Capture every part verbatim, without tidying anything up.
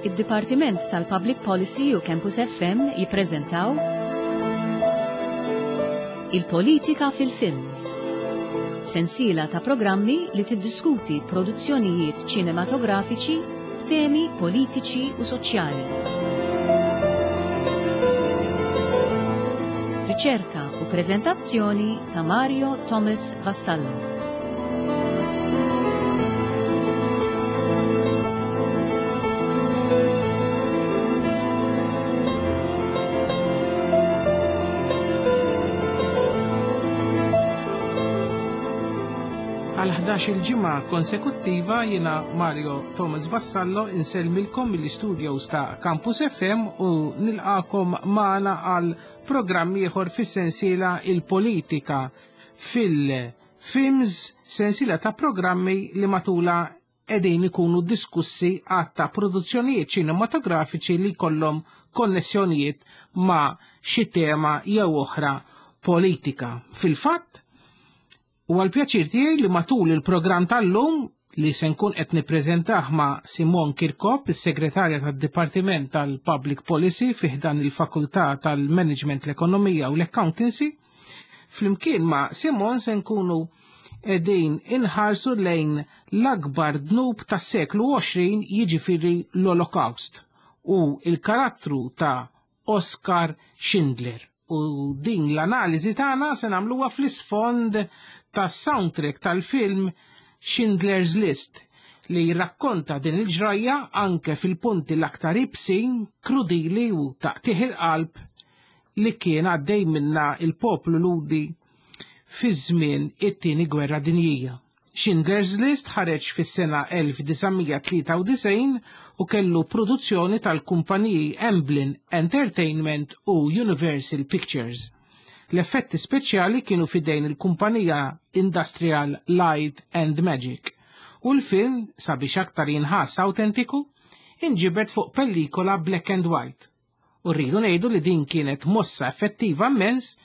Id-Dipartiment tal-Public Policy u Campus F M jippreżentaw Il-Politika fil-Films. Sensiela ta' programmi li tiddiskuti produzzjonijiet ċinematografiċi b'temi politiċi u soċjali. Riċerka u preżentazzjoni ta' Mario Thomas Vassallo. Għal ħdax-il ġimgħa konsekuttiva jiena Mario Thomas Vassallo insellmilkom mill-istudios ta' Campus F M u nilqakom magħna għal programm ieħor fis-sensiela Il-Politika fil-Films, sensiela ta' programmi li matula qegħdin ikunu diskussi għadd ta' produzzjonijiet ċinematografiċi li jkollhom konnessjonijiet ma' xi tema jew oħra politika. Fil-fatt, u għal-pjaċir tiegħi li matul il-programm tal-lum li se nkun qed nippreżentah ma' Simon Kirkop, is-segretarja tad-Dipartiment tal-Public Policy fi ħdan il-Fakultà tal-Management, l-Ekonomija u l-Accountancy, flimkien ma' Simon se nkunu qegħdin inħarsu lejn l-akbar dnub tas-seklu għoxrin, jiġifieri l-Holocaust, u il-karattru ta' Oskar Schindler. U din l-analiżi tagħna se nagħmluha fl-isfond tas-soundtrack tal-film Schindler's List li jirrakkonta din il-ġrajja anke fil-punti l-aktar ibsin, krudili u taqtih il-qalb li kien għaddej minna il-poplu Lhudi fi żmien it-tieni gwerra dinjija. Schindler's List ħareġ fis-sena elf disa' mija tlieta u disgħin u kellu produzzjoni tal-kumpaniji Amblin Entertainment u Universal Pictures. L-effetti speċjali kienu fidejn il-kumpanija Industrial Light and Magic u l-film, sabiex aktar jinħass autentiku, inġibed fuq pellikola black and white. U rridu ngħidu li din kienet mossa effettiva immens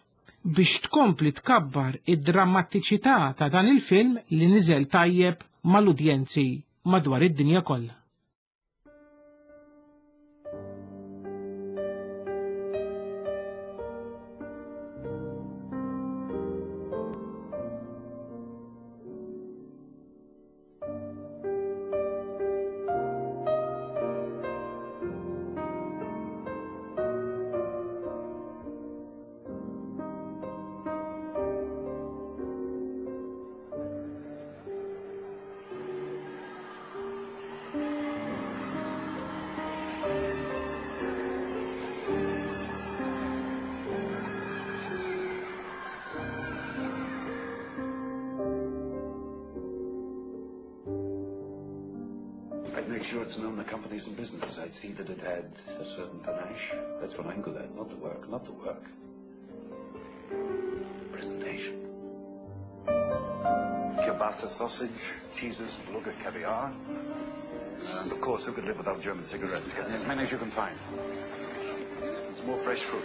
biex tkompli tkabbar id-drammatiċità ta' dan il-film li niżel tajjeb mal-udjenzi madwar id-dinja kollha. Make sure it's known the company's in business. I'd see that it had a certain panache. That's what I'm good at. Not the work, not the work. The presentation. Kielbasa sausage, cheeses, beluga caviar. And of course, who could live without German cigarettes? Get as many as you can find. And some more fresh fruit.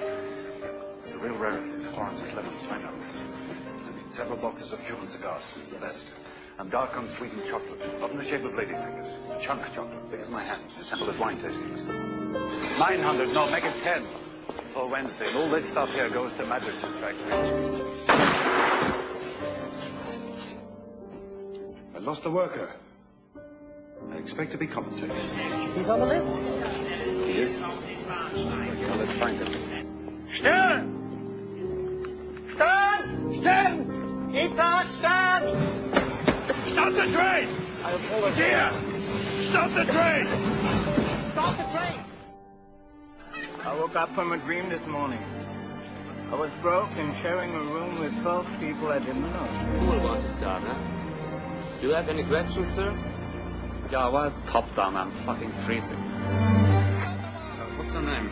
The real rarities, oranges, lemons, pineapples. Several boxes of Cuban cigars, the best. And dark unsweetened chocolate, not in the shape of ladyfingers. A chunk of chocolate, big as my hand, to sample as wine tastings. Nine hundred, no, make it ten for Wednesday. And all this stuff here goes to Madras' factory. I lost a worker. I expect to be compensated. He's on the list? He is. Well, let's find him. Stern! Stern! Stern! Itzhak, Stern! Stop the train! He's here! Stop the train! Stop the train! I woke up from a dream this morning. I was broke and sharing a room with twelve people I didn't know. Who will want to start, huh? Do you have any questions, sir? Yeah, why is top down? I'm fucking freezing. Uh, what's your name?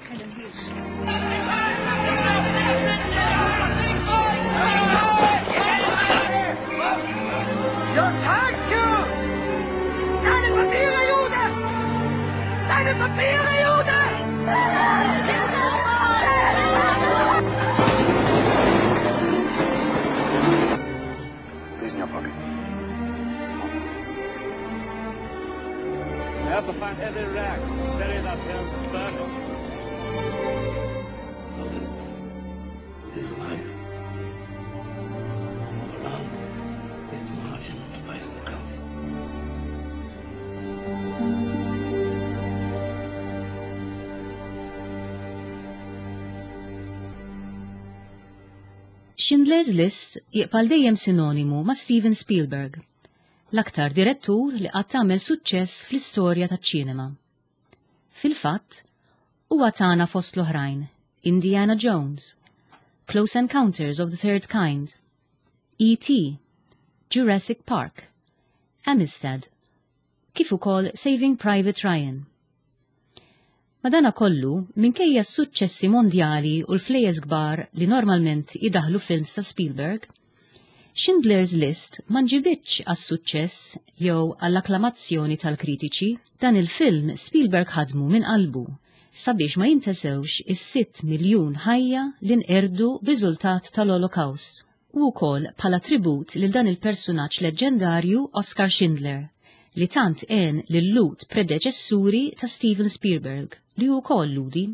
Helen Hirsch. Your tank! Deine Papiere, Jude! Deine Papiere, Jude! These in your pocket. have to find every rag, bury that here, burn it. So this is life. All around its margins lies the gulf. Schindler's List jibqa' dejjem sinonimu ma' Steven Spielberg, l-aktar direttur li qatt għamel suċċess fl-istorja taċ-ċinema. Fil-fatt, huwa tana fost l-oħrajn Indiana Jones, Close Encounters of the Third Kind, E T, Jurassic Park, Amistad, kif ukoll Saving Private Ryan. Madana kollu, minkejja s-suċċessi mondjali u l-flejjes kbar li normalment idaħlu films ta' Spielberg, Schindler's List ma nġibitx għas-suċċess jew għall-akklamazzjoni tal-kritiċi. Dan il-film Spielberg ħadmu minn qalbu sabiex ma jintesewx is-sitt miljun ħajja li nqerdu b'riżultat tal-Holocaust u wkoll bħala tribut lil dan il-persunaġġ leġġendarju Oscar Schindler li tant għen lil-Lhud predeċessuri ta' Steven Spielberg li hu wkoll Lhudi.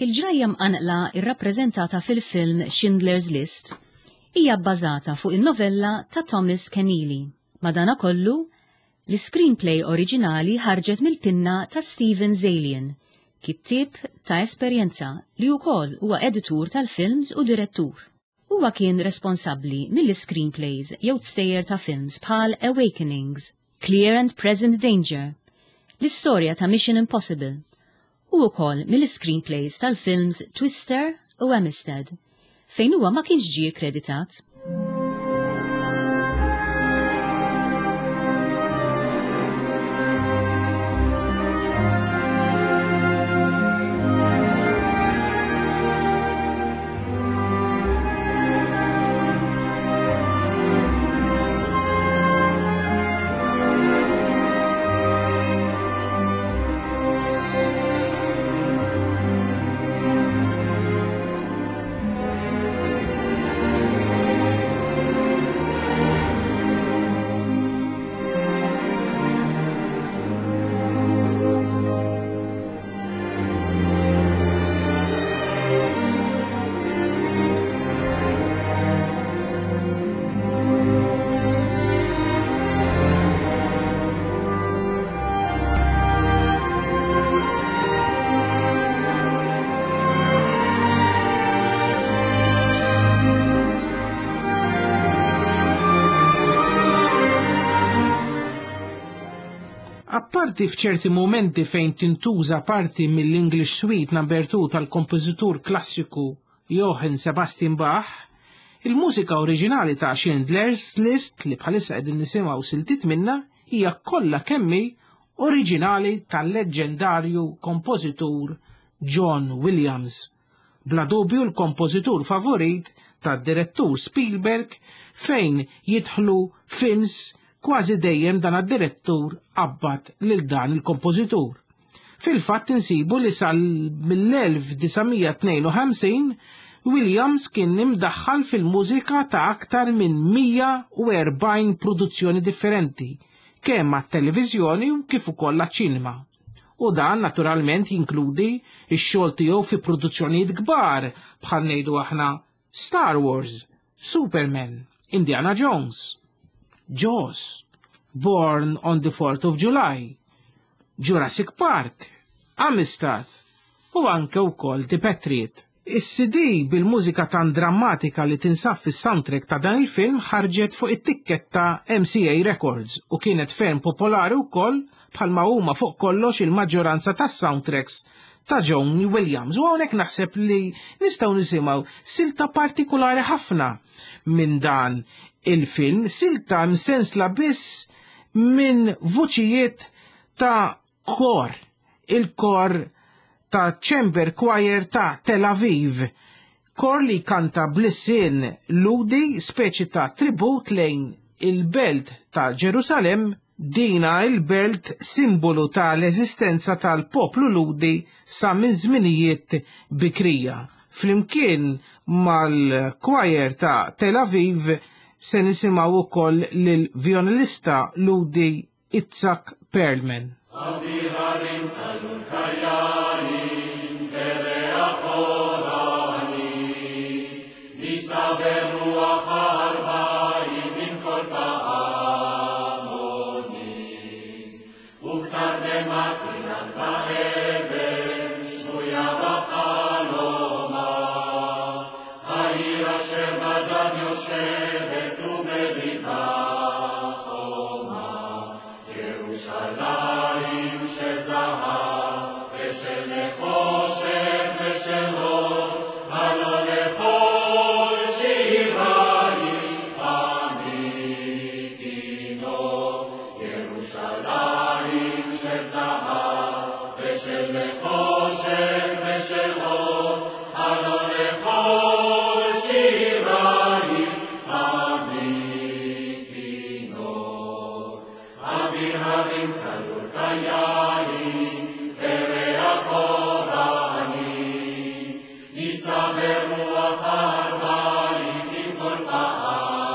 Il-ġrajja mqanqla irrappreżentata fil-film Schindler's List hija bbażata fuq in-novella ta' Thomas Keneally. Madanakollu, l-screenplay oriġinali ħarġet mill-pinna ta' Steven Zaillian, kittieb ta' esperjenza li wkoll huwa editur tal-films u direttur. Huwa kien responsabbli mill-screenplays jew tstejjer ta' films bħal Awakenings, Clear and Present Danger, l-istorja ta' Mission Impossible, u wkoll mill-screenplays tal-films Twister u Amistad, fejn huwa ma kienx ġie kkreditat. Apparti f'ċerti momenti fejn tintuża parti mill-English Suite number two tal-kompożitur klassiku Johann Sebastian Bach, il-mużika oriġinali ta' Schindler's List li bħalissa qegħdin nisimgħu siltiet minnha hija kollha kemmi oriġinali tal-leġġendarju kompożitur John Williams. Bla dubju l-kompożitur favorit tad-direttur Spielberg fejn jidħlu films kważi dejjem dan għad-direttur qabbat lil dan il-kompożitur. Fil-fatt insibu li sal mill-elf disa' mija tnejn u ħamsin Williams kien imdaħħal fil-mużika ta' aktar minn mija u erbgħin produzzjoni differenti, kemm għat-televiżjoni u kif ukoll għaċ-ċinema. U dan naturalment jinkludi x-xogħol tiegħu fi produzzjonijiet kbar bħal ngħidu aħna Star Wars, Superman, Indiana Jones, Jaws, Born on the fourth of July, Jurassic Park, Amistad u anke wkoll The Patriot. Is-C D bil-mużika tan drammatika li tinsab fis-soundtrack ta' dan il-film ħarġet fuq it-tikketta M C A Records u kienet ferm popolari wkoll, bħalma huma fuq kollox il-maġġoranza tas-soundtracks ta' John Williams. U hawnhekk naħseb li nistgħu nisimgħu silta partikolari ħafna minn dan il-film, silta msensla biss minn vuċijiet ta' kor, il-kor ta' Chamber Choir ta' Tel Aviv. Kor li kanta bl-ilsien Lhudi, speċi ta' tribut lejn il-belt ta' Ġerusalem, dina il-belt simbolu ta' l-eżistenza tal-poplu Lhudi sa minn żminijiet bikrija. Flimkien mal-choir ta' Tel Aviv se nisimgħu ukoll lil-violinista Lhudi Itzhak Perlman. אוויר הרים צלול כיין, וריח אורנים, נישא ברוח הארבעים עם כל פעמונים. ובתרדמת אילן ואבן, שבויה בחלומה, העיר אשר בדד יושבת ובליבה חומה. ירושלים של זהב ושל נחושת ושל אור, הלא לכל שירייך אני כינור. ירושלים של זהב ושל נחושת ושל אור, הלא לכל שירייך אני כינור. אוויר הרים צלול כיין, וריח אורנים, נישא ברוח הארבעים עם כל פעמונים.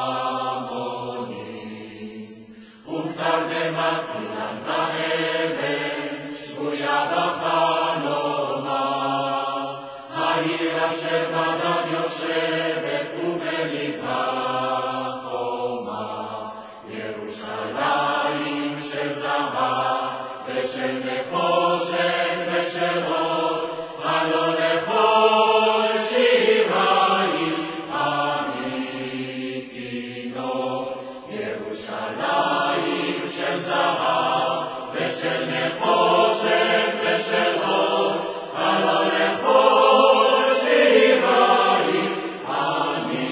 ובתרדמת אילן ואבן, שבויה בחלומה, העיר אשר בדד יושבת ובליבה חומה. ירושלים של זהב ושל נחושת ושל אור, הלא לכל שירייך אני כינור. ירושלים של זהב ושל נחושת ושל אור, הלא לכל שירייך אני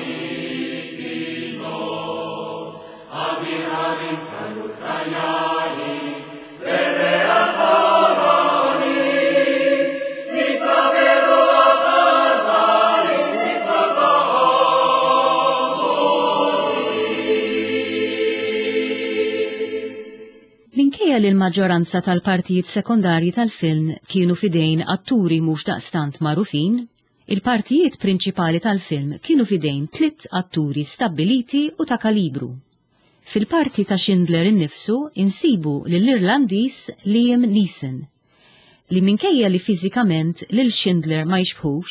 כינור. אוויר הרים צלול כיין, וריח אורנים, נישא ברוח הארבעים עם כל פעמונים. Minkejja li l-maġġoranza tal-partijiet sekondarji tal-film kienu fidejn atturi mhux daqstant magħrufin, il-partijiet prinċipali tal-film kienu fidejn tliet atturi stabbiliti u ta' kalibru. Fil-parti ta' Schindler innifsu insibu lill-Irlandiż Liam Neeson, li minkejja li fiżikament lil Schindler ma jixbħux,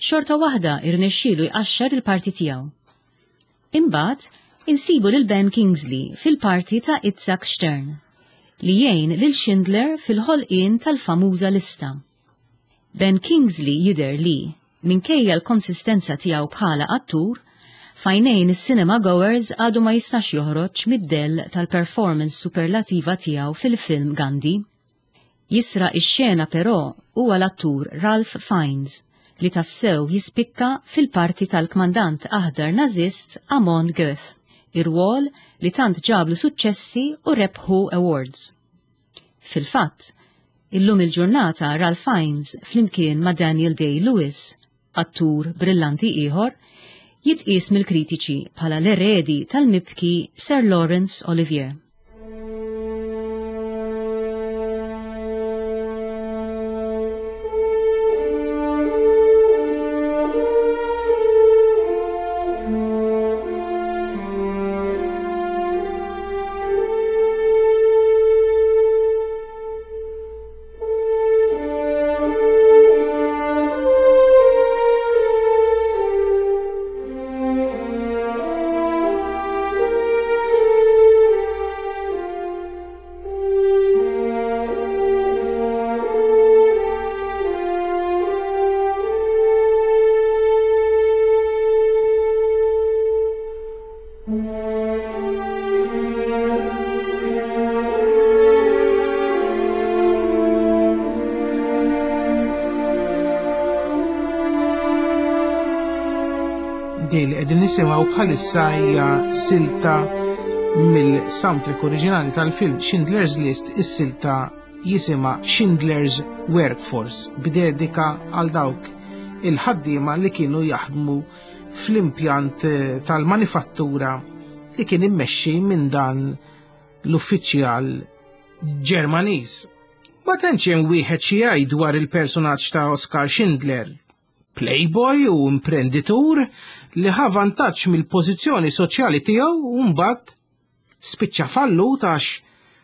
xorta waħda irnexxielu jqaxxar il-parti tiegħu. Imbagħad insibu lil Ben Kingsley fil-parti ta' Itzhak Stern, li jgħin lil Schindler fil-ħolqien tal-famuża lista. Ben Kingsley jidher li, minkejja l-konsistenza tiegħu bħala attur, f'għajnejn is-cinema goers għadu ma jistax joħroġ mid-dell tal-performance superlativa tiegħu fil-film Gandhi. Jisraq ix-xena però huwa l-attur Ralph Fiennes, li tassew jispikka fil-parti tal-kmandant aħdar nazist Amon Goeth, ir-rwol li tant ġablu suċċessi u rebħu awards. Fil-fatt, illum il-ġurnata Ralph Fiennes flimkien ma' Daniel Day-Lewis, attur brillanti ieħor, jitqies mill-kritiċi bħala l-eredi tal-mibki Sir Laurence Olivier. Din li qegħdin nisimgħu bħalissa hija silta mill-soundtrack oriġinali tal-film Schindler's List, is-silta jisimha Schindler's Workforce, b'dedika għal dawk il-ħaddiema li kienu jaħdmu fl-impjant tal-manifattura li kien immexxi minn dan l-uffiċjal Ġermaniż. Ma tantx hemm wieħed xi jgħid dwar il-personaġġ ta' Oskar Schindler, playboy u imprenditur li ħa vantaġġ mill-pożizzjoni soċjali tiegħu u mbagħad spiċċa fallut għax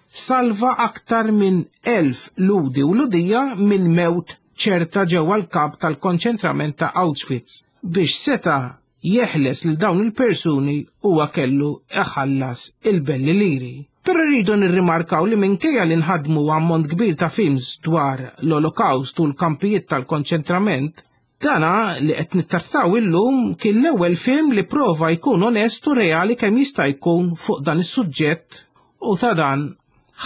salva aktar minn elf ludi u ludija minn mewt ċerta ġewwa l-kamp tal-konċentrament ta' Auschwitz. Biex seta' jeħles lil dawn il-persuni huwa kellu iħallas il-belli liri. Però rridu nirrimarkaw li minkejja li nħadmu ammont kbir ta' films dwar l-Olokawst u l-kampijiet tal-konċentrament, dana li qed nittrattaw illum kien l-ewwel film li prova jkun onest u reali kemm jista' jkun fuq dan is-suġġett u ta' dan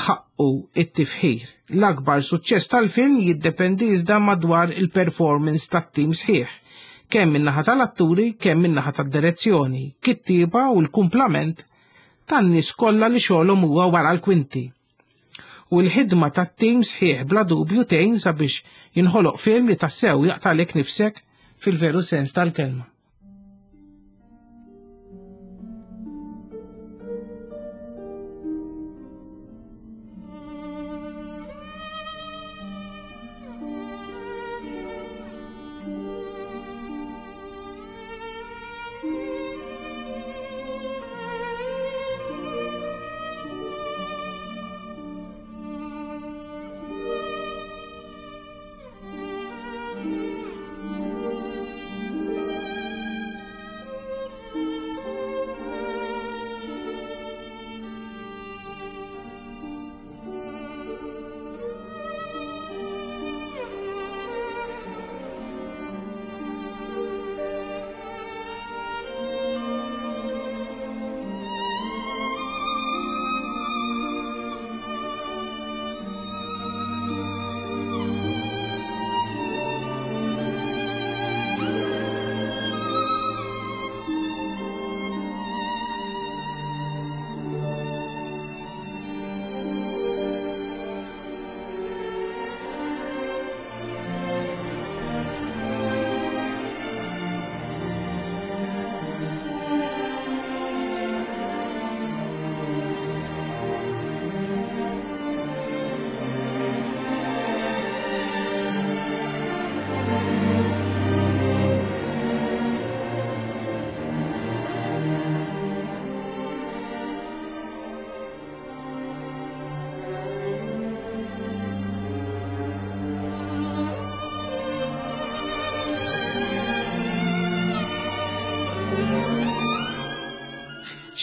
ħaqqu it-tifħir. L-akbar suċċess tal-film jiddependi iżda madwar il-performance tat-tim sħiħ, kemm min-naħa tal-atturi, kemm min-naħa tad-direzzjoni, kittieba u l-kumplament tan-nies kollha li xogħolhom huwa wara l-kwinti. U l-ħidma tat-tim sħiħ bla dubju tgħin sabiex jinħoloq film li tassew jaqtalek nifsek fil-veru sens tal-kelma.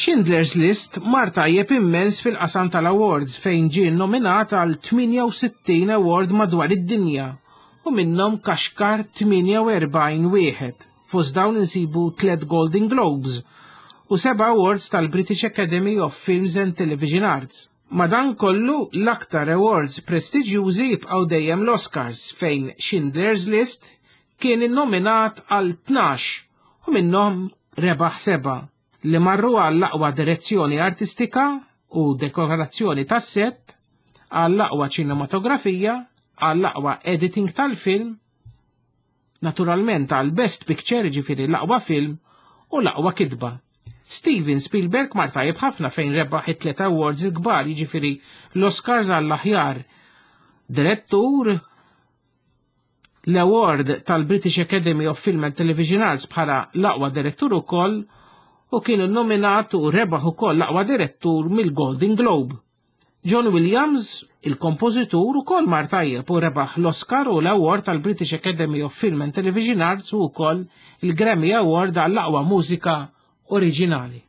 Schindler's List mar tajjeb immens fil-qasam tal-awards fejn ġie nominat għal tmienja u sittin award madwar id-dinja u minnhom kaxkar tmienja u erbgħin wieħed. Fost dawn insibu tliet Golden Globes u seba' awards tal-British Academy of Films and Television Arts. Madankollu l-aktar awards prestiġjużi jibqgħu dejjem l-Oscars fejn Schindler's List kien innominat għal tnax u minnhom rebaħ seba' li marru għall-aqwa direzzjoni artistika u dekorazzjoni tas-set, għall-aqwa ċinematografija, għall-aqwa editing tal-film, naturalment għall Best Picture, ġifieri l-aqwa film, u l-aqwa kitba. Steven Spielberg mar tajjeb ħafna fejn rebaħ it-tliet awards il-kbar, jiġifieri l-Oscars għall-aħjar direttur, l-award tal-British Academy of Film and Television Arts bħala l-aqwa direttur ukoll, u kienu nominat u rebaħ ukoll l-aqwa direttur mill-Golden Globe. John Williams, il-kompożitur, ukoll mar tajjeb u rebaħ l-Oscar u l-Award tal-British Academy of Film and Television Arts u wkoll il-Grammy Award għall-aqwa mużika oriġinali.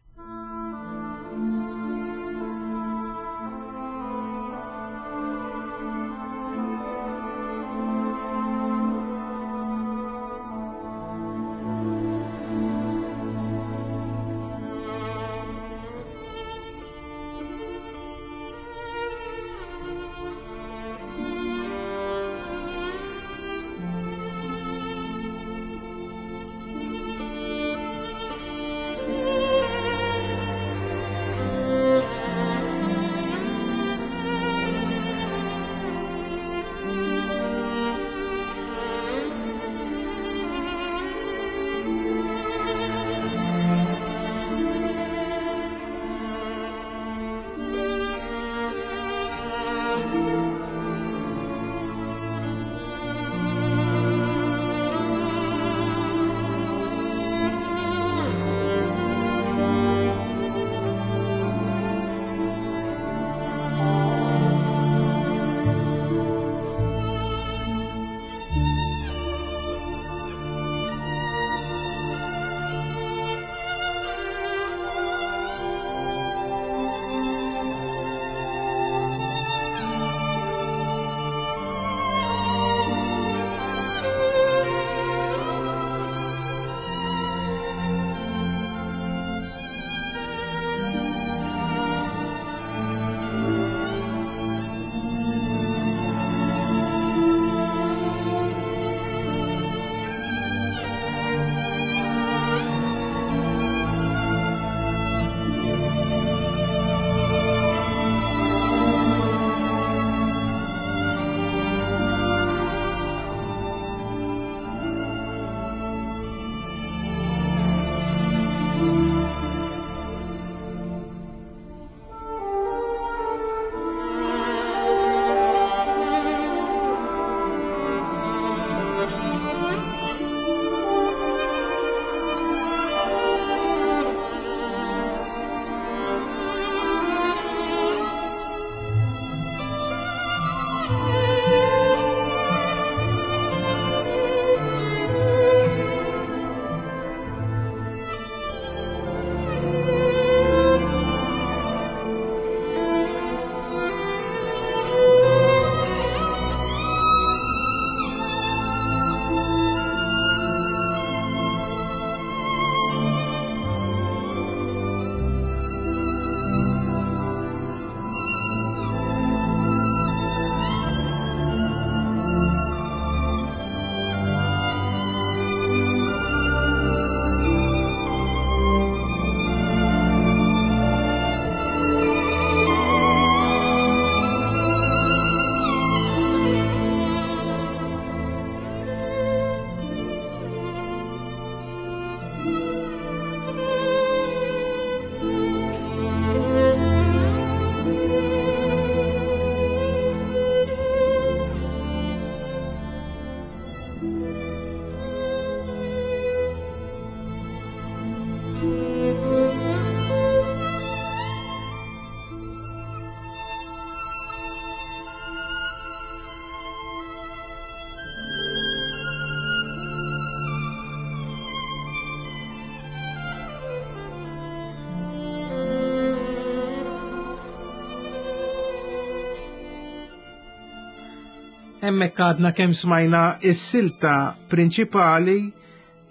Hemmhekk għadna kemm smajna s-silta prinċipali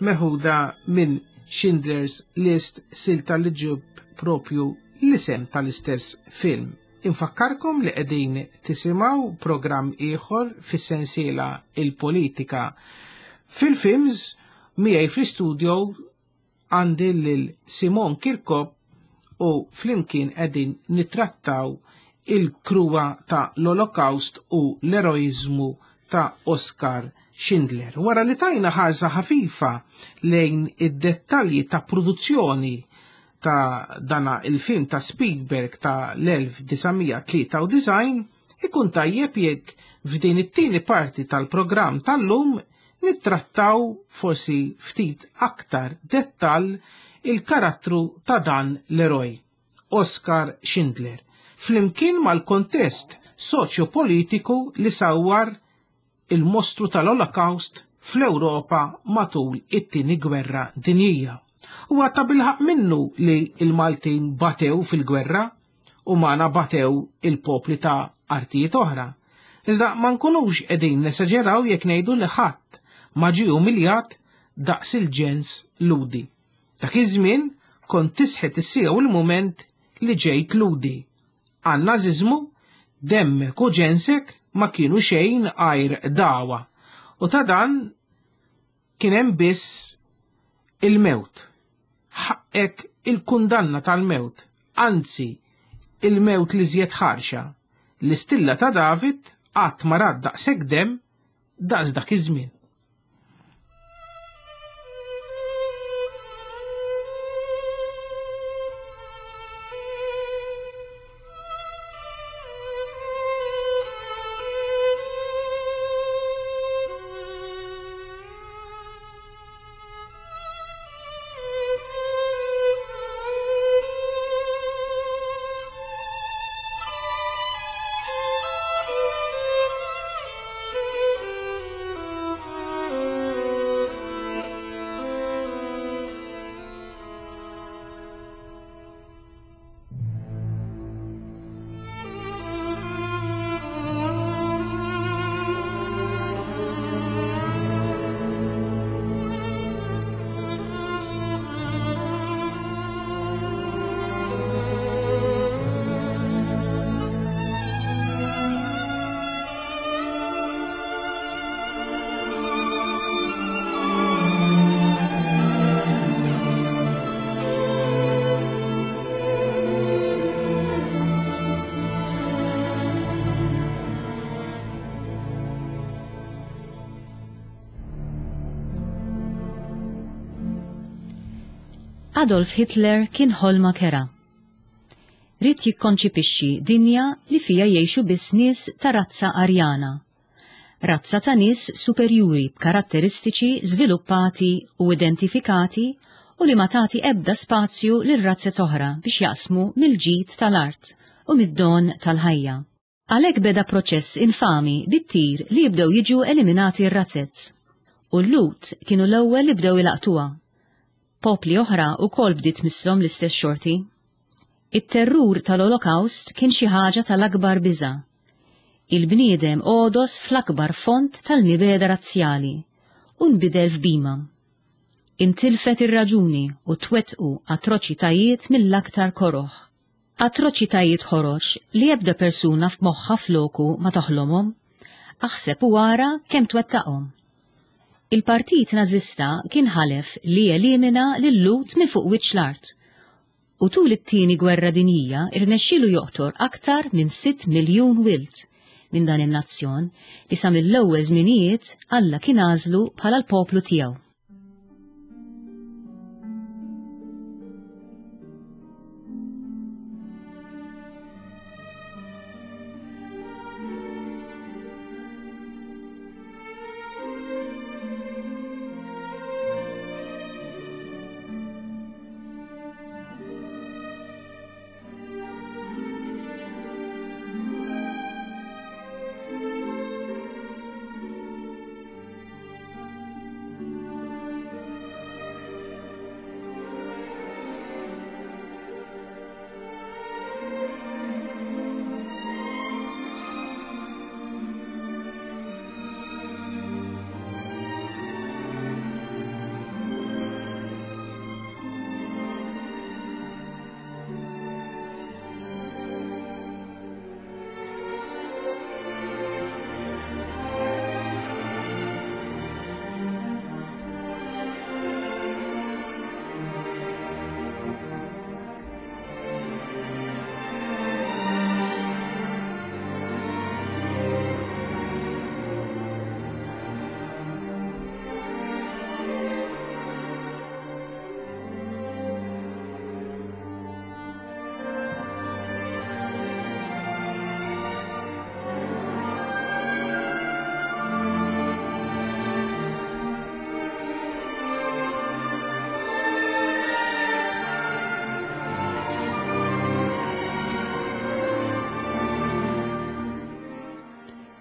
meħuda minn Schindler's List, silta li ġib propju l-isem tal-istess film. Infakkarkom li qegħdin tisimgħu programm ieħor fis-sensiela Il-Politika. Fil-films miegħi fl-istudio għandi lil Simon Kirkop u flimkien qegħdin nittrattaw il-kruwa ta' l-Olokaust u l-eroizmu ta' Oskar Schindler. Wara li tajna ħarsa ħafifa lejn id-dettalji ta' produzzjoni ta' dana il-film ta' Spielberg ta' l-elf disa' tlieta u disgħin, ikun tajjeb jekk f'din it-tieni parti tal-programm tal-lum nittrattaw forsi ftit aktar dettall il-karattru ta' dan l-eroj, Oskar Schindler, flimkien mal-kontest soċjopolitiku li sawwar il-mostru tal-Olokaust fl-Ewropa matul it-tieni gwerra dinjija. Huwa ta' bilħaq minnu li il-Maltin batew fil-gwerra u magħna batew il-popli ta' artijiet oħra. Iżda ma nkunux qegħdin nesaġeraw jekk ngħidu li ħadd ma ġie umiljat daqs il-ġens Ludi. Dak iż-żmien kont tisħet is-siegħa u l-mument li ġejt Ludi. Għan-naziżmu demmek u ġensek ma kienu xejn għajr dawa, u ta' dan kien hemm biss il-mewt. Ħaqek il-kundanna tal-mewt, anzi il-mewt li żjed ħarxa. L-istilla ta' David qatt ma rat daqshekk demm daqs dak iż-żmien. Adolf Hitler kien ħolma kera. Ried jikkonċipixxi dinja li fija jgħixu biss nies ta' razza Arjana, razza ta' nies superjuri b'karatteristiċi żviluppati u identifikati u li ma tagħti ebda spazju lil razzet oħra biex jaqsmu mill-ġid tal-art u mid-don tal-ħajja. Għalhekk beda proċess infami bit-tir li jibdew jiġu eliminati r-razzet. U l-Lut kienu l-ewwel li bdew ilaqtuha. Popli oħra wkoll bdiet misshom l-istess xorti. It-terrur tal-Olokaust kien xi ħaġa tal-akbar biża'. Il-bniedem għodos fl-akbar font tal-mibeda razzjali u nbidel f'bima. Intilfet ir-raġuni u twettqu atroċitajiet mill-aktar koroħ. Atroċitajiet ħorox li ebda persuna f'moħħa floku ma toħlomhom, aħseb u ara kemm twettaqhom. Il-partit Nażista kien ħalef li jelimina lil-Lut minn fuq wiċċ l-art, u tul it-tieni gwerra dinjija irnexxielu joqtor aktar minn sitt miljun wild minn dan in-nazzjon li sa mill-ewwel żminijiet Alla kien għażlu bħala l-poplu tiegħu.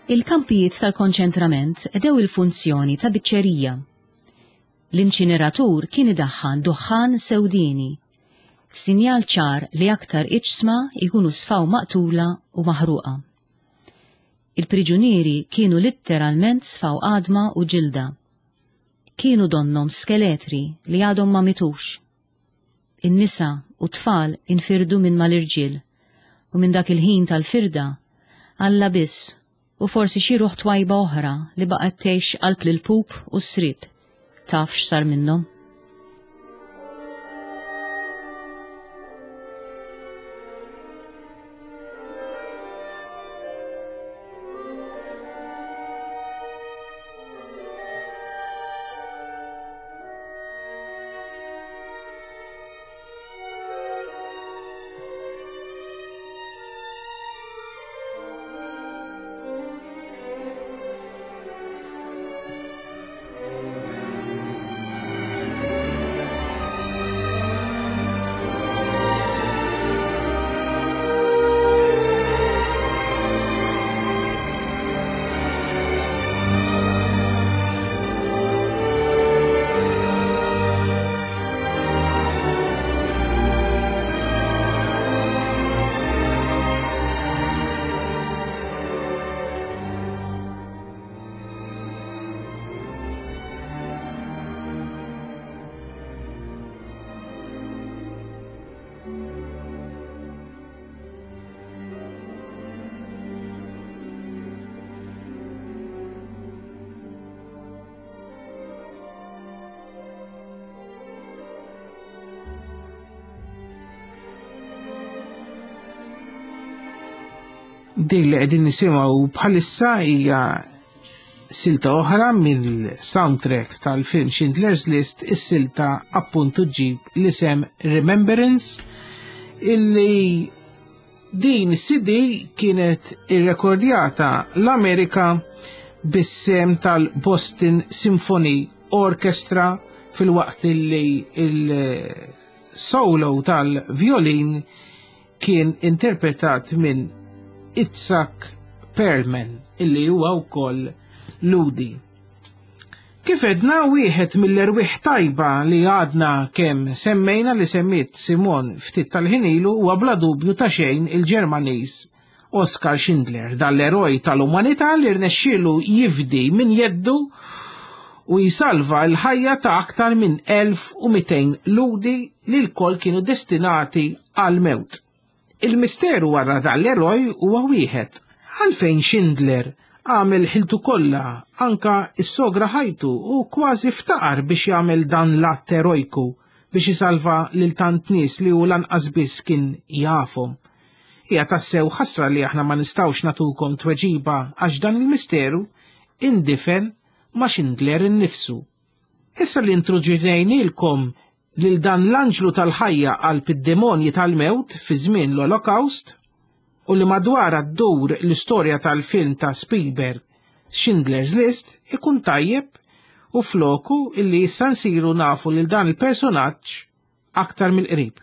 Il-kampijiet tal-konċentrament qdew il-funzjoni ta' biċċerija. L-inċineratur kien idaħħan duħħan sewdini, sinjal ċar li aktar iġsma jkunu sfaw maqtula u maħruqa. Il-priġunieri kienu litteralment sfaw għadma u ġilda. Kienu donnom skeletri li għadhom ma mitux. In-nisa u tfal infirdu minn mal-irġiel u minn dak il-ħin tal-firda Alla biss u forsi xi ruħ twajba oħra li baqgħet tgħix qalb lil-pup u s-srib taf x'sar minnhom. Dik li qegħdin nisimgħu bħalissa hija silta oħra mill-soundtrack tal-film Schindler's List, is-silta appuntu ġib l-isem Remembrance, illi din C D kienet irrekordjata l-Amerika bis-sem tal-Boston Symphony Orchestra fil-waqt illi il-solo tal-violin kien interpretat minn Itzhak Perlman, illi huwa wkoll Ludi. Kif edna wieħed mill-erwieħ tajba li għadna kemm semmejna li semmiet Simon ftit tal-ħin ilu huwa bla dubju ta' xejn il-Ġermaniż Oskar Schindler, dal-eroj tal-umanità li rnexxielu jifdi minn jeddu u jisalva l-ħajja ta' aktar minn elf u mitejn Ludi li l-koll kienu destinati għal-mewt. Il-misteru wara dal-eroj huwa wieħed. Għalfejn Schindler għamel ħiltu kollha, anka s-sogra ħajtu u kważi ftaqar biex jagħmel dan l-att erojku biex isalva lil tant nies li hu lanqas biss kien jafhom. Hija tassew ħasra li aħna ma nistgħux natukom tweġiba għax dan il-misteru indifen ma' Schindler innifsu. Issa li introduċejnielkom lil dan l-anġlu tal-ħajja qalb id-demonji tal-mewt fi żmien l-Olokawst u li madwar ddur l-istorja tal-film ta' Spielberg Schindler's List, ikun tajjeb u floku illi issa nsiru nafu lil dan il-personaġġ aktar mill-qrib.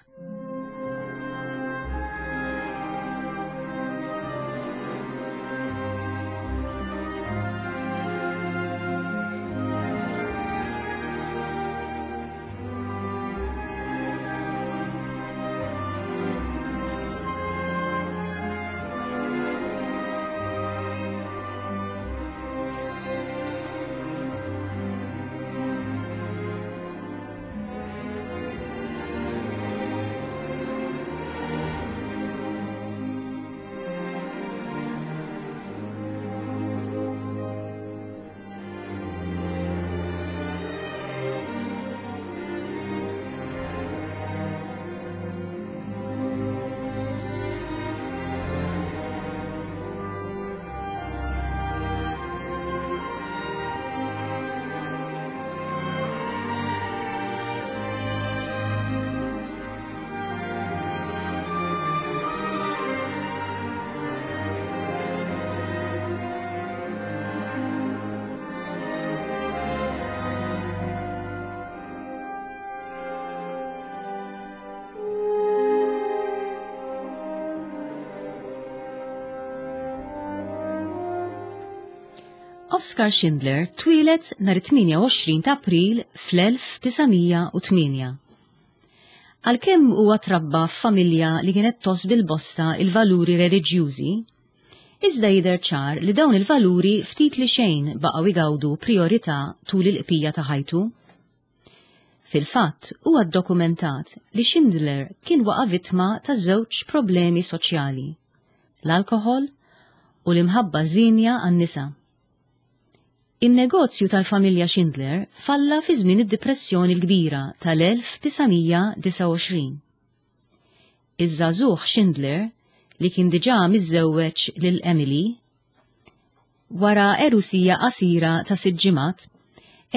Oskar Schindler twieled nhar it-tmienja u għoxrin ta' April fl-elf tisa' mija u tmienja. Għalkemm huwa trabba f'familja li kienet tgħożż bil-bosta il-valuri reliġjużi, iżda jidher ċar li dawn il-valuri ftit li xejn baqgħu jgawdu priorità tul il-qpija ta' ħajtu. Fil-fatt, huwa ddokumentat li Schindler kien waqa' vittma ta' żewġ problemi soċjali, l-alkoħol u l-imħabba żienja għan-nisa. In-negozju tal-familja Schindler falla fi żmien id-Depressjoni l-Kbira tal-elf tisa' mija disgħa u għoxrin. Iż-żagħżugħ Schindler, li kien diġà miżżewweġ lil Emily, wara erusija qasira ta' sitt ġimgħat,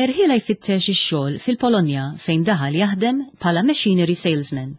erħilha jfittex ix-xogħol fil-Polonja fejn daħal jaħdem bħala machinery salesman.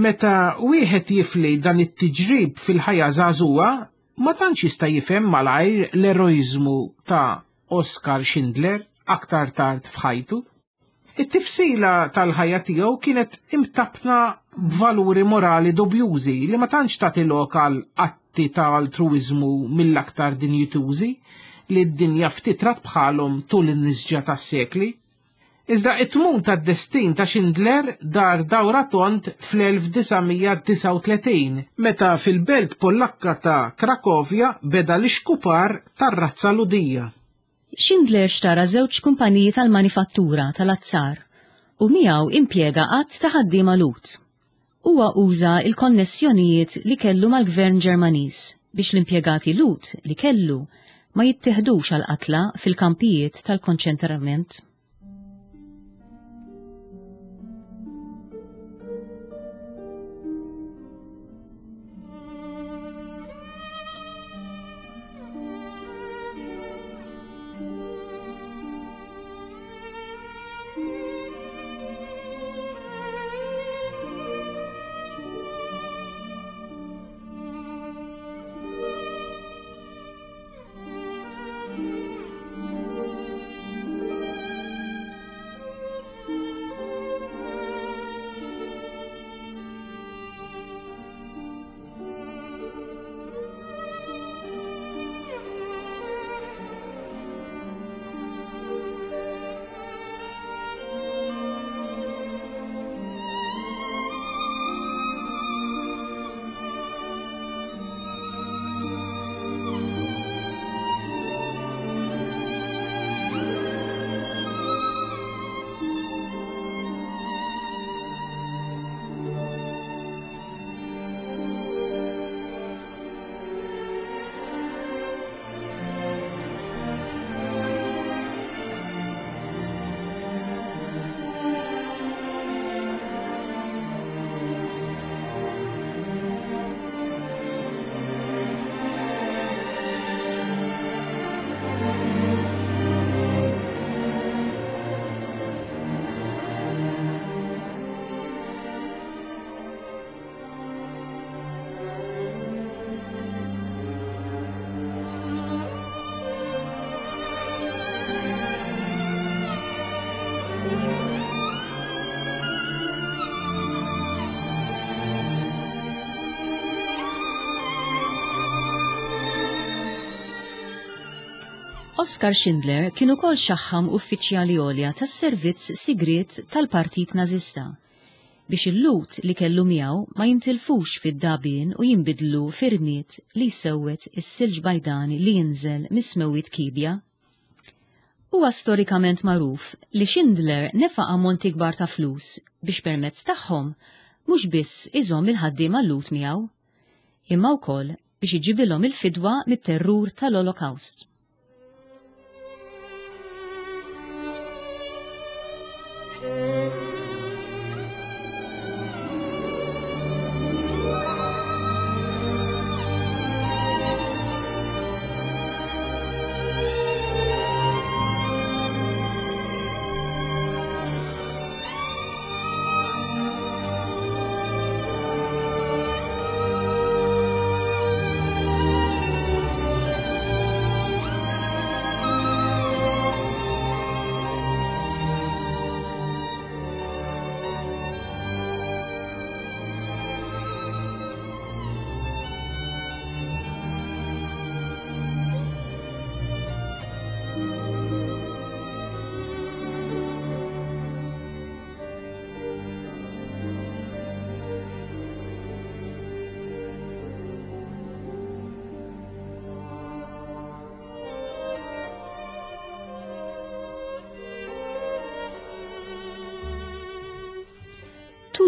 Meta wieħed jifli dan it-tiġrib fil-ħajja żagħżugħa, ma tantx jista' jifhem malajr l-eroiżmu ta' Oskar Schindler aktar tard f'ħajtu. It-tifsila tal-ħajja tiegħu kienet imtabna b'valuri morali dubjużi li ma tantx tagħti lok għal atti ta' altruiżmu mill-aktar dinjitużi li d-dinja ftit rat bħalhom tul in-nisġa tas-sekli. Iżda it-tmun tad-destin ta' Schindler dar dawra tond fl-elf disa' mija disgħa u tletin, meta fil-belt Pollakka ta' Krakovja beda l-ixkupar tar-razza Lhudija. Schindler xtara żewġ kumpaniji tal-manifattura tal-azzar u miegħu impjega qatt ta' ħaddiema Lhud. Huwa uża l-konnessjonijiet li kellu mal-Gvern Ġermaniż biex l-impjegati Lhud li kellu ma jittiħdux għal qatla fil-kampijiet tal-konċentrament. Oskar Schindler kien ukoll xaħħam uffiċjali għolja tas-servizz sigriet tal-Partit Nażista biex il-Lhud li kellu miegħu ma jintilfux fid-dagħbien u jinbidlu f'irmied li jsewwed is-silġ bajdani li jinżel mis-smewwiet kiebja. Huwa storikament magħruf li Schindler nefaq ammonti kbar ta' flus biex permezz tagħhom mhux biss iżomm il-ħaddiema Lhud miegħu, imma wkoll biex iġibilhom il-fidwa mit-terrur tal-Olokawst.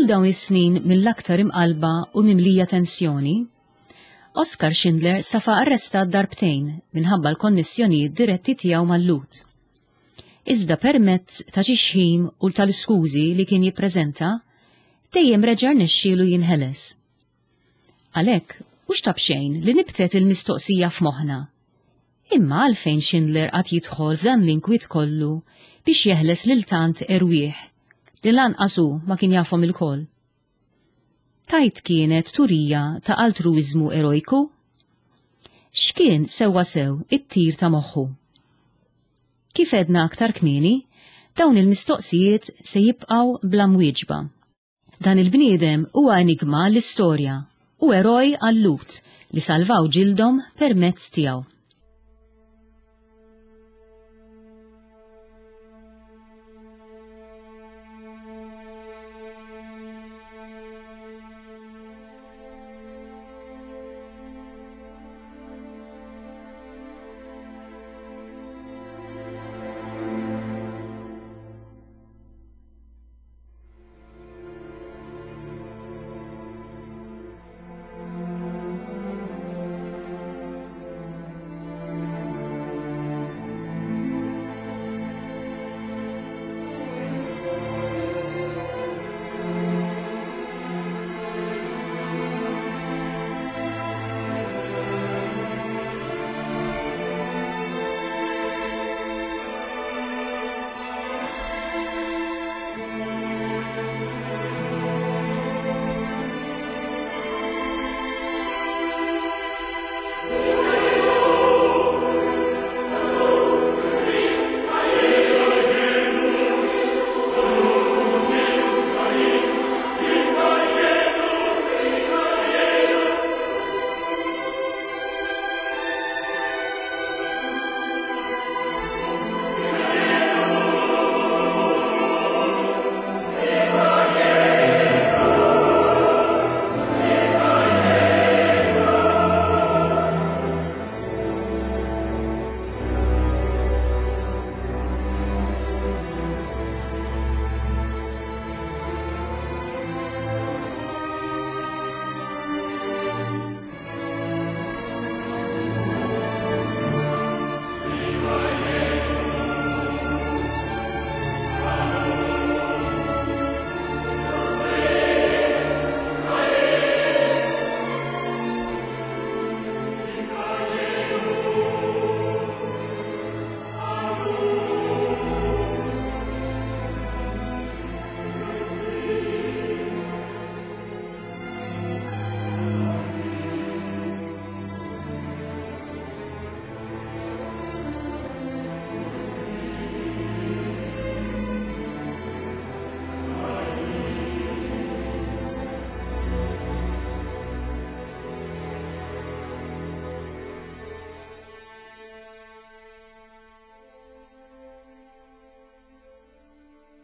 Tul dawn is-snin mill-aktar imqalba u mimlija tensjoni, Oskar Schindler safa arrestat darbtejn minħabba l-konnessjonijiet diretti tiegħu mal-Lhud. Iżda permezz ta' xi xħim u tal-iskużi li kien jippreżenta, dejjem reġa' rnexxielu jinħeles. Għalhekk, mhux ta' b'xejn li nibtet il-mistoqsija f'moħħna. Imma għalfejn Schindler qatt jidħol f'dan l-inkwiet kollu biex jeħles lil tant erwieħ li lanqas hu ma kien jafhom ilkoll. Tajt kienet turija ta' altruiżmu erojku? X'kien sewwa sew it-tir ta' moħħu? Kif edna aktar kmieni, dawn il-mistoqsijiet se jibqgħu bla mwieġba. Dan il-bniedem huwa enigma l-istorja u eroj għal-Lhud li salvaw ġildhom permezz tiegħu.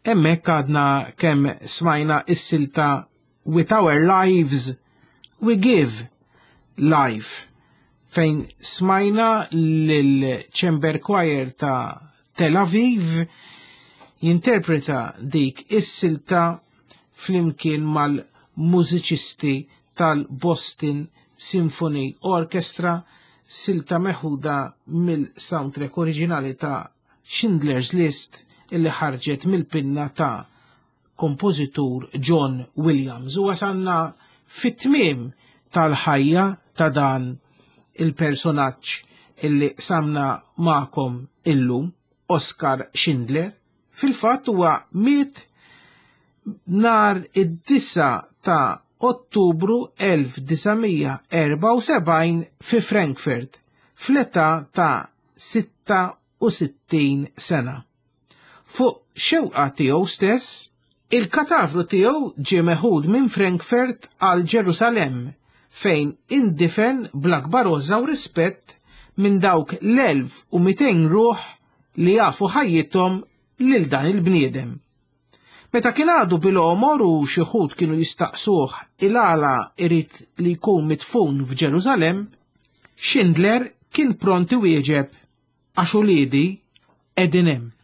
Hemmhekk għadna kemm smajna is-silta With Our Lives We Give Life, fejn smajna lil Chamber Choir ta' Tel Aviv jinterpreta dik is-silta flimkien mal-mużiċisti tal-Boston Symphony Orchestra, silta meħuda mill-soundtrack oriġinali ta' Schindler's List illi ħarġet mill-pinna ta' kompożitur John Williams. U wasanna fit-tmiem tal-ħajja ta' dan il-personaġġ illi samna magħkom illum, Oskar Schindler. Fil-fatt huwa miet nar id-disa ta' Ottubru elf disa' mija erba' u sebgħin fi Frankfurt fl-età ta' sitta u sittin sena. Fuq xewqa tiegħu stess, il-katavru tiegħu ġie meħud minn Frankfurt għal Ġerusalemm, fejn indifen bl-akbar għożża u rispett minn dawk l-elf u mitejn ruħ li jafu ħajjithom lil dan il-bniedem. Meta kien għadu bil-għomor u xi wħud kienu jistaqsuh il-għala irid li jkun mitfun f'Ġerusalemm, Schindler kien pront iwieġeb għax uliedi qegħdin hemm.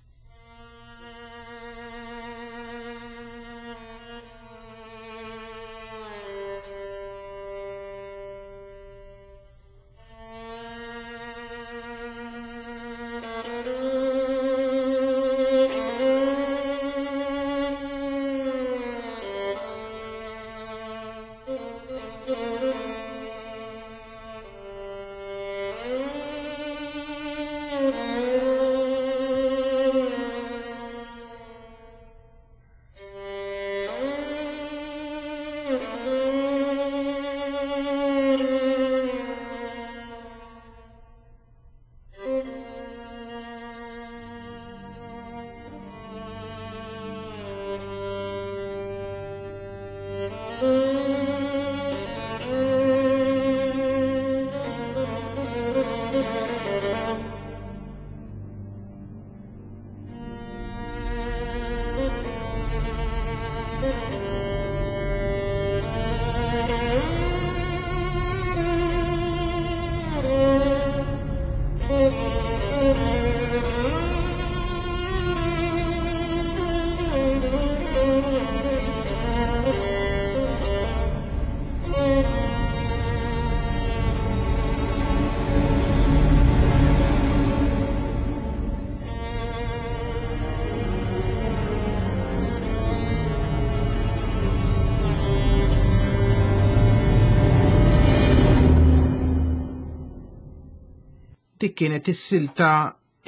Dik kienet is-silta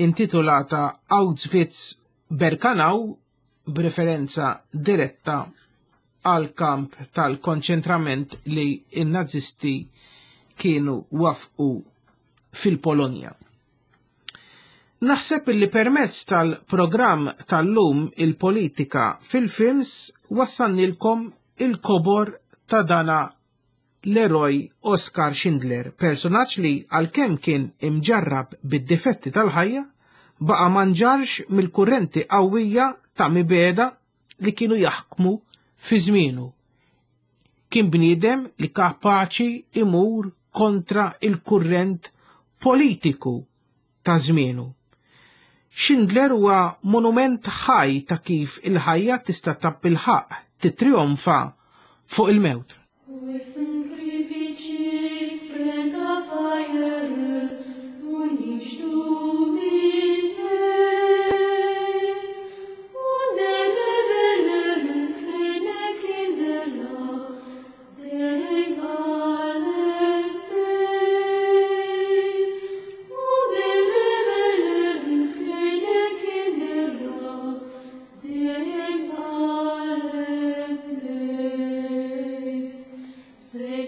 intitolata Auschwitz Birkenau, b'referenza diretta għal kamp tal-konċentrament li n-nazisti kienu wafqu fil-Polonja. Naħseb li permezz tal-programm tal-lum il-politika fil-films wassannilkom il-kobor ta' dana l-eroj Oskar Schindler, personaġġ li għalkemm kien imġarrab bid-difetti tal-ħajja, baqa' ma nġarx mill-kurrenti qawwija ta' mibeda li kienu jaħkmu fi żmienu. Kien bniedem li kapaċi imur kontra il-kurrent politiku ta' żmienu. Schindler huwa monument ħaj ta' kif il-ħajja tista' tabbilħaq titrionfa fuq il-mewt. Say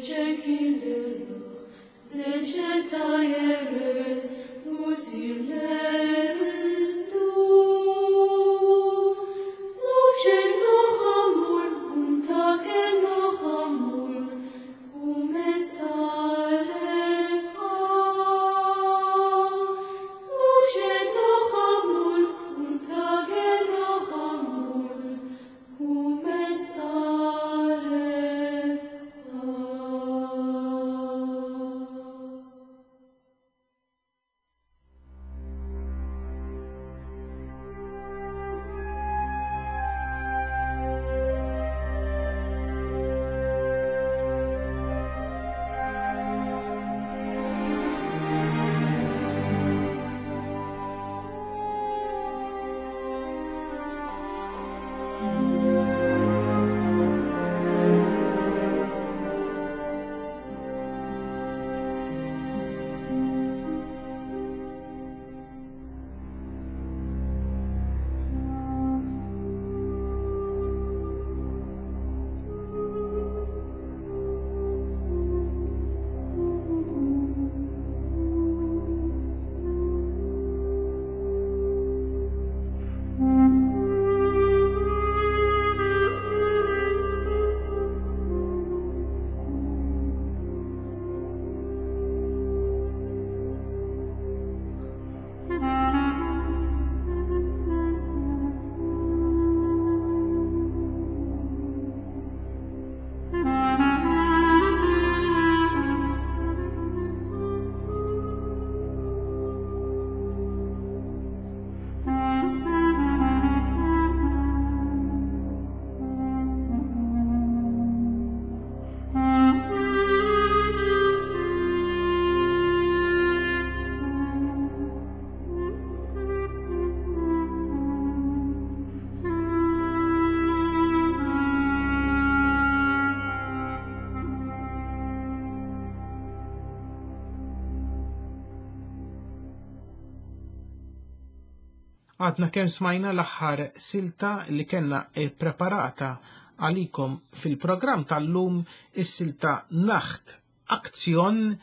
Għadna kemm smajna l-aħħar silta li kellna preparata għalikom fil-programm tal-lum, is-silta Nacht Aktion,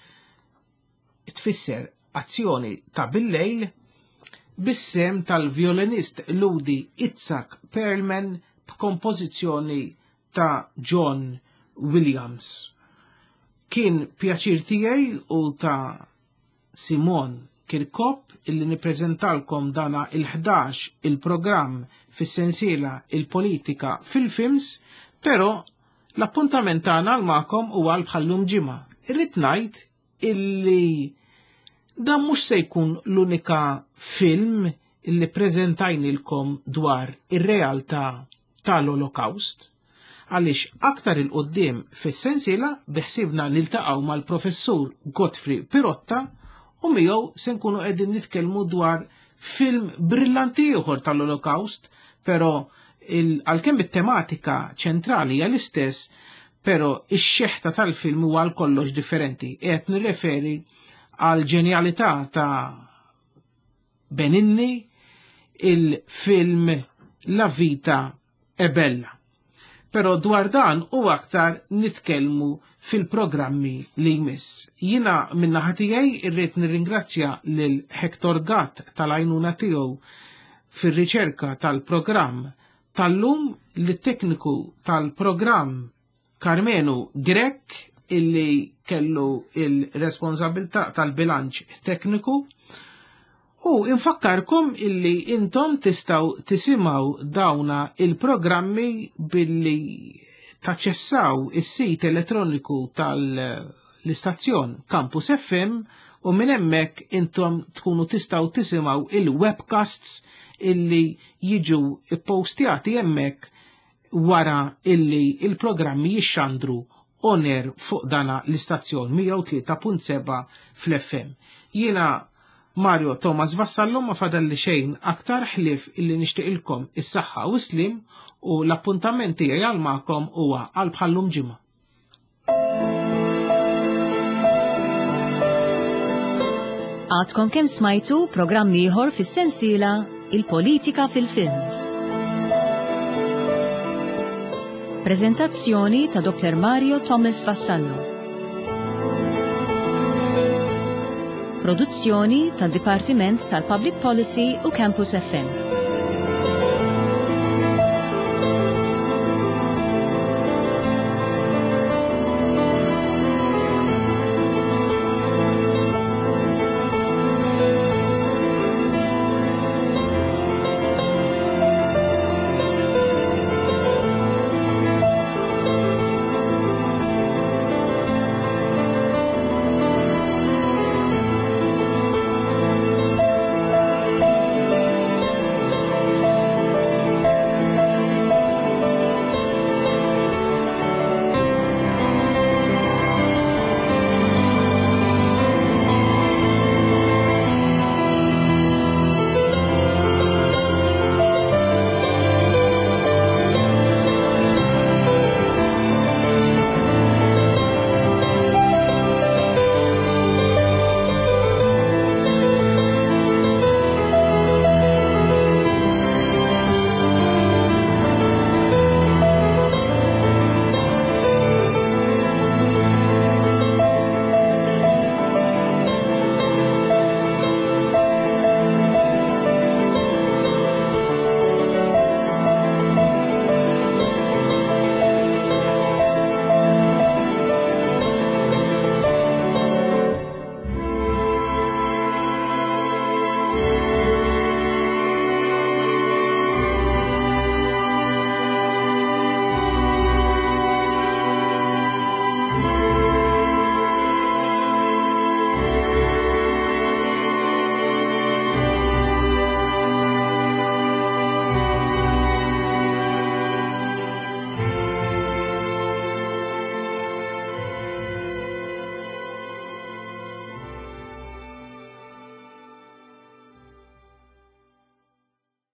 tfisser azzjoni ta' bil-lejl, bis-sem tal-violinist Ludi Itzhak Perlman b'kompożizzjoni ta' John Williams. Kien pjaċir tiegħi u ta' Simon Kirkop illi nippreżentalkom dana il-ħdax il-programm fis-sensiela il-politika fil-films, però l-appuntament tagħna għal magħkom huwa għal bħallum ġimgħa. Irrid ngħid illi dan mhux se jkun l-unika film illi preżentajnilkom dwar ir-realtà tal-Olokawst, għaliex aktar il-qoddim fis-sensiela biħsibna niltaqgħu mal-professur Godfrey Pirotta u miegħu se nkunu qegħdin nitkellmu dwar film brillanti ieħor tal-Olokawst, però għalkemm it-tematika ċentrali hija l-istess, però ix-xeħta tal-film huwa għal kollox differenti. Qed nirreferi għal ġenjalità ta' Benigni, il-film La Vita è Bella. Però dwar dan u aktar nitkellmu fil-programmi li jmiss. Jina minna tiegħi irrid nirringrazzja lil Hector Gatt tal-għajnuna tiegħu fir-riċerka tal-programm tal-lum, lit-tekniku tal-programm Carmenu Grech illi kellu il-responsabilità tal-bilanċ tekniku. U infakkarkom illi intom tistaw tisimaw dawna il-programmi billi taċċessaw is-sit elettroniku tal-istazzjon Campus F M, u minn hemmhekk intom tkunu tistaw tisimaw il-webcasts illi jiġu ppostjati hemmhekk wara illi il-programmi jixxandru on air fuq dana l-istazzjon mija u tlieta punt seba' fl-F M. Jiena Mario Thomas Vassallo ma fadalli xejn aktar ħlief illi nixtieqilkom is-saħħa u slim, u l-appuntament tiegħi għal magħkom huwa għal bħallum ġimgħa. Għadkom kemm smajtu programm ieħor fis-sensiela Il-Politika fil-Films. Prezentazzjoni ta' Doktor Mario Thomas Vassallo. Produzzjoni tad-Dipartiment tal-Public Policy u Campus F M.